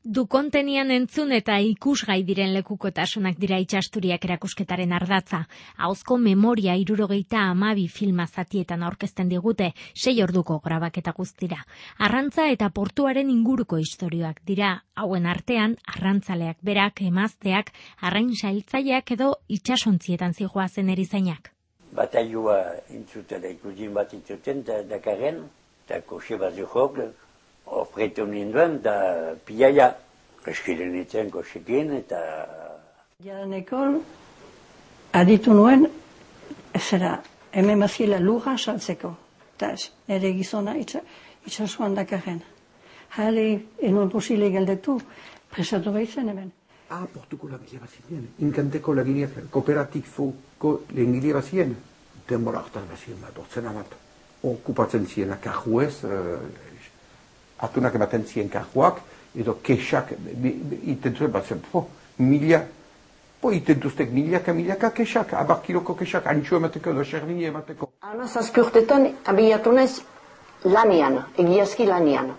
Du kontenian entzun eta ikusgai diren lekukotasunak dira Itsasturiak erakusketaren ardatza. Ahozko memoria 72 filma zatietan aurkezten digute, 6 orduko grabaketa guztira. Arrantza eta portuaren inguruko istorioak dira, hauen artean arrantzaleak berak, emazteak, arrain sailtzaileak edo itsasontzietan zihoazen erizainak. Batailua intzutela ikusin bat intzuten, Dakarren, eta koxe bat zuhok, ofretu ninduen, da pilaia, eskiren itzen koxekin, eta... Jaranekol, aditu nuen, ezera, hemen bazila lurra saltzeko. Eta ere gizona itxasuan Dakarren. Jale, enon posile galdetu, presatu behitzen hemen. Portuko langile bat ziren, inkanteko langile kooperatifoko langile bat ziren. Denbora hartan bat ziren bat, ortsena bat. Okupatzen ziren akajuez, atunak ematen ziren kajuak, edo kesak, iten zuen bat zen, itentuztek milaka kesak, 10 kiloko kesak, antxo emateko edo xerdini emateko. Ana zazpiurtetan abiatu naiz lanian, egiazki lanian.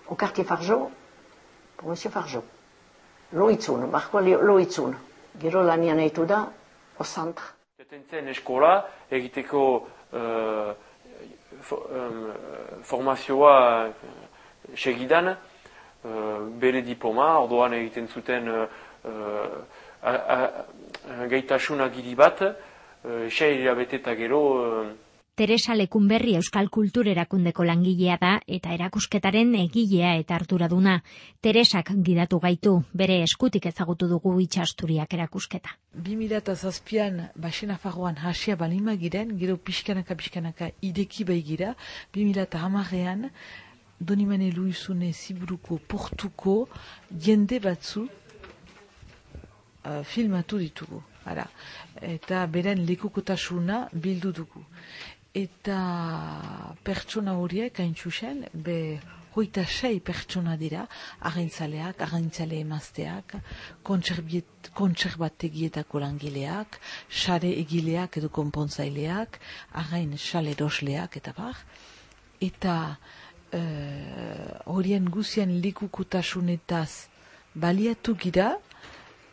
Okarti Farjo, Monsieur Farjo. Loitzun, barkoa loitzun. Gero lanian eitu da, osantra. Eten eskola egiteko formazioa segidan, bere diploma, ordoan egiten zuten gaitasun agiri bat, 6 hilabete eta gero... Teresa Lekunberri Euskal Kultur Erakundeko langilea da eta erakusketaren egilea eta arduraduna. Teresak gidatu gaitu, bere eskutik ezagutu dugu Itsasturiak erakusketa. 2007an Baxenafarroan hasia balima giren, gero pixkanaka ideki bai gira, 2010an Donimane Luizune Ziburuko portuko jende batzu filmatu ditugu. Eta beren lekukotasuna bildu dugu. Eta pertsona horiek haintxusen, 26 pertsona dira, arraintzaleak, arraintzale emazteak, kontserbategietako langileak, sare egileak edo konpontzaileak, arrain sale erosleak eta bar. Eta horien guzien lekukotasunetaz baliatu gira,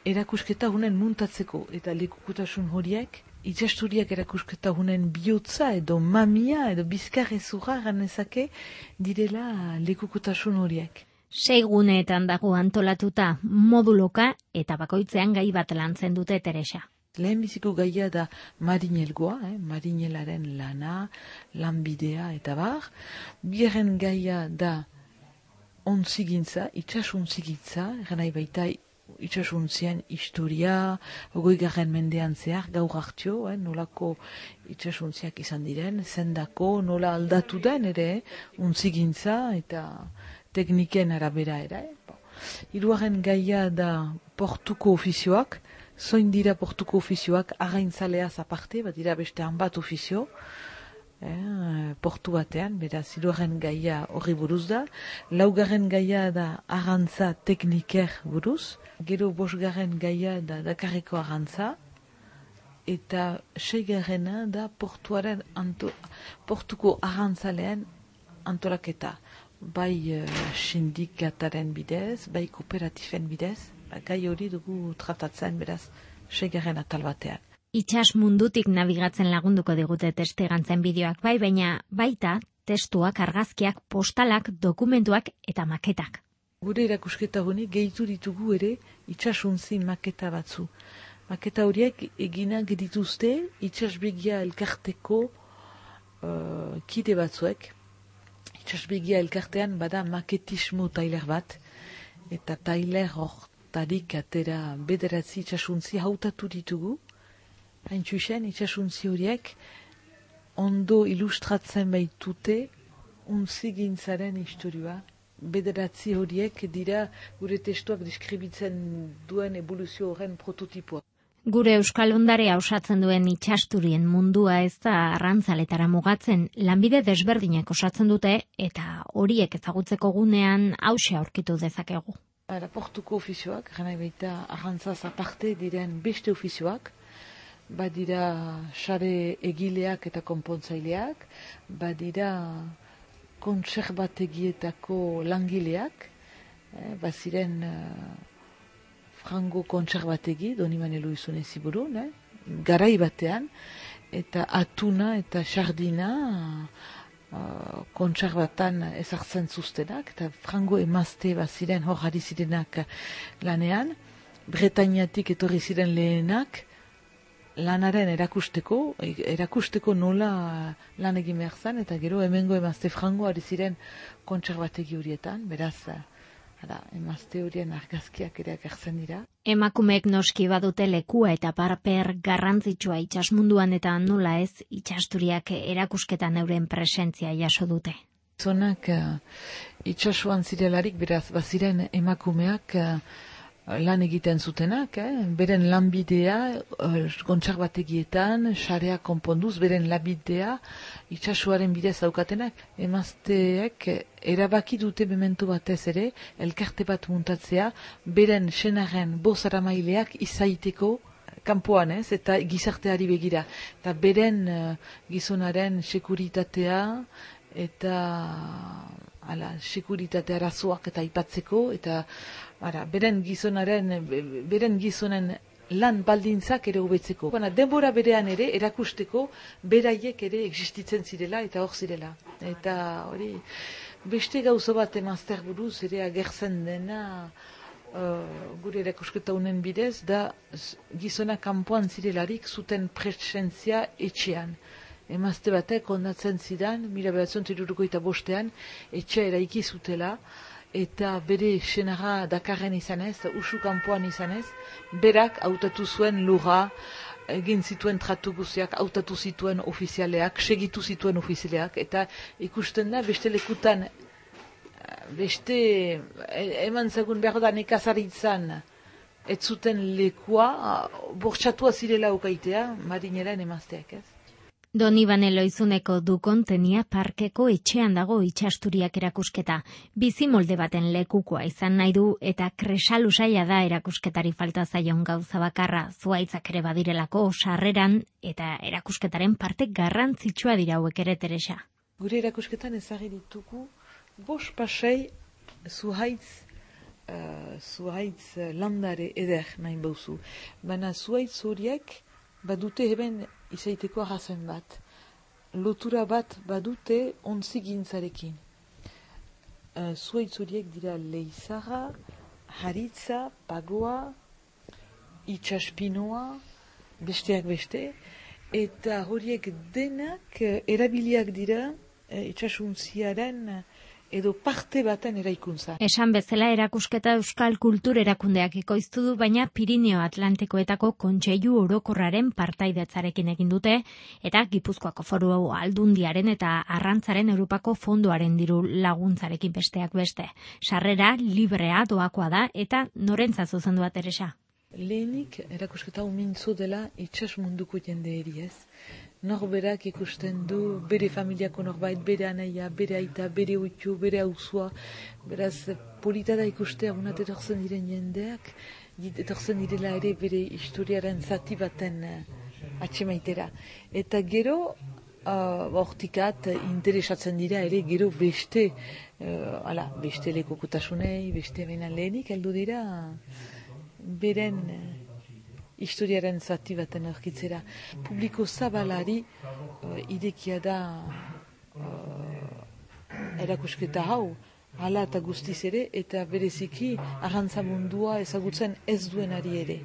erakusketa hunen muntatzeko, eta lekukotasun horiek, Itsasturiak erakusketa hunen bihotza edo mamia edo bizkarrezurra ganezake direla lekukotasun horiek. 6 guneetan dago antolatuta, moduloka eta bakoitzean gai bat lantzen dute Teresa. Lehenbiziko gaia da marinelgoa, marinelaren lana, lanbidea eta bar. Bigarren gaia da ontzigintza, itsasuntzigintza, ganai baita itsasuntzien historia, 20. mendean zehar, gaur hartio, nolako itsasuntziak izan diren, zendako, nola aldatu den ere, untzigintza eta tekniken arabera ere. Hirugarren gaia da portuko ofizioak, zoin dira portuko ofizioak, arraintzaleaz aparte, bat dira beste hanbat ofizio, portu batean, beraz, hirugarren gaia horri buruz da. Laugarren gaia da arrantza tekniker buruz. Gero 5. gaia da Dakarreko arrantza. Eta 6. da portuko arrantzaleen antolaketa. Bai sindikataren bidez, bai kooperatifen bidez. Gai hori dugu tratatzen, beraz, 6. atal batean. Itsas mundutik nabigatzen lagunduko digute testegantzen bideoak baina baita testuak, argazkiak, postalak, dokumentuak eta maketak. Gure erakusketa honi gehitu ditugu ere itsasuntzi maketa batzu. Maketa horiek eginak dituzte itsasbegia elkarteko kide batzuek. Itsasbegia elkartean bada maketismo tailer bat, eta tailer hortarik atera 9 itsasuntzi hautatu ditugu. Haintxusen, itsasuntzi horiek ondo ilustratzen baitute untzigintzaren historioa. 9 horiek dira gure testuak deskribitzen duen evoluzio horren prototipoa. Gure Euskal Ondarea osatzen duen Itsasturien mundua ez da arrantzaletara mugatzen, lanbide desberdinak osatzen dute eta horiek ezagutzeko gunean hauxe aurkitu dezakegu. Portuko ofizioak, gana baita arrantzaz aparte diren beste ofizioak, badira sare egileak eta konpontzaileak, badira kontserbategietako langileak, baziren frango kontserbategi, Donibane Loizune ziburun, garai batean, eta atuna eta sardina kontserbatan ezartzen zuztenak, eta frango emazte baziren hor ari zirenak lanean, Bretainiatik etorri ziren lehenak, lanaren erakusteko nola lan egin behar zen, eta gero hemengo emazte frango ari ziren kontserbategi horietan, beraz, emazte horien argazkiak ere agertzen dira. Emakumeek noski badute lekua eta paper garrantzitsua itsasmunduan eta nola ez itsasturiak erakusketan euren presentzia jaso dute. Zonak itsasuan zirelarik, beraz, baziren emakumeak lan egiten zutenak, beren lanbidea kontserbategietan, sareak konponduz, beren lanbidea itsasuaren bidez daukatenak, emazteek erabaki dute memento batez ere, elkarte bat muntatzea, beren senaren bozaramaileak izaiteko kanpoan eta gizarteari begira. Eta beren gizonaren sekuritatea eta sekuritate arazoak eta aipatzeko, eta beren gizonen lan baldintzak ere hobetzeko. Denbora berean ere erakusteko beraiek ere existitzen zirela eta hor zirela. Eta hori, beste gauza bat emazter buruz ere agertzen dena gure erakusketa honen bidez, da gizona kanpoan zirelarik zuten presentzia etxean. Emazte batek ondatzen zidan, 1975 etxea eraiki zutela, eta bere senara Dakarren izanez, usu kanpoan izanez, berak hautatu zuen lurra, egin zituen tratu guziak, hautatu zituen ofizialeak, segitu zituen ofizialeak, eta ikusten da beste lekutan, beste eman zagun behar da nekazaritzan, ez zuten lekua, bortxatua zirela okaitea, marineren emazteak ez. Donibane Loizuneko Dukontenia parkeko etxean dago itsasturiak erakusketa. Bizimolde baten lekukoa izan nahi du eta kresalusaia da erakusketari falta zaion gauza bakarra, zuhaitzak ere badirelako sarreran eta erakusketaren parte garrantzitsua dira hauek ere, Teresa. Gure erakusketan ezagri ditugu 5 pasei zuhaitz landare eder nahi bauzu. Baina zuhaitz horiek badute heben izaiteko arrazoen bat. Lotura bat badute ontzigintzarekin. Zuhaitz horiek dira leizara, haritza, pagoa, itxaspinoa, besteak beste, eta horiek denak erabiliak dira itxasuntziaren edo parte baten eraikuntza. Esan bezala erakusketa Euskal Kultur Erakundeak ekoiztu du, baina Pirineo Atlantikoetako Kontseilu Orokorraren partaidetzarekin egin dute, eta Gipuzkoako Foru Aldundiaren eta Arrantzaren Europako Fondoaren diru laguntzarekin besteak beste. Sarrera librea doakoa da eta norentzat zuzendua, Teresa? Lehenik erakusketa mintzo dela itsas munduko jendeeri ez. Norberak ikusten du bere familiako norbait, bere anaia, bere aita, bere uitu, bere auzua. Beraz, polita da ikustea unat etortzen diren jendeak, etortzen direla ere bere historiaren zati baten atxemaitera. Eta gero, hortikat interesatzen dira ere gero beste lekokutasunei, beste benan lehenik heldu dira beren historiaren zati baten aurkitzera. Publiko zabalari idekia da erakusketa hau, hala eta guztiz ere, eta bereziki arrantza mundua ezagutzen ez duenari ere.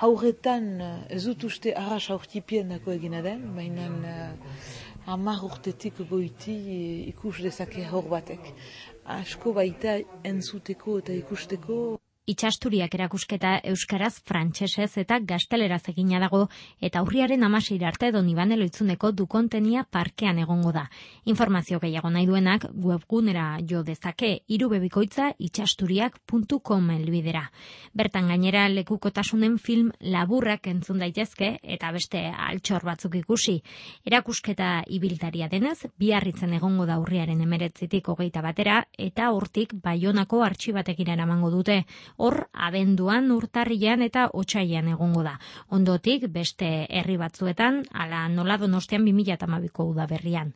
Hauretan ez dut uste arras aurtipien dako egina den, baina 10 urtetik goiti ikus dezake hor batek. Asko baita entzuteko eta ikusteko. Itsasturiak erakusketa euskaraz, frantsesez eta gazteleraz egina dago, eta urriaren 16 arte Donibane Loizuneko Dukontenia parkean egongo da. Informazio gehiago nahi duenak webgunera jo dezake, irubebikoitza itsasturiak.com helbidera. Bertan gainera lekukotasunen film laburrak entzun daitezke eta beste altxor batzuk ikusi. Erakusketa ibiltaria denez, Biarritzen egongo da urriaren 19tik 21 batera, eta hortik Baionako artxibategira eramango dute. Hor, abenduan, urtarrilean eta otsailean egongo da. Ondotik, beste herri batzuetan, ala nola Donostian 2012ko udaberrian.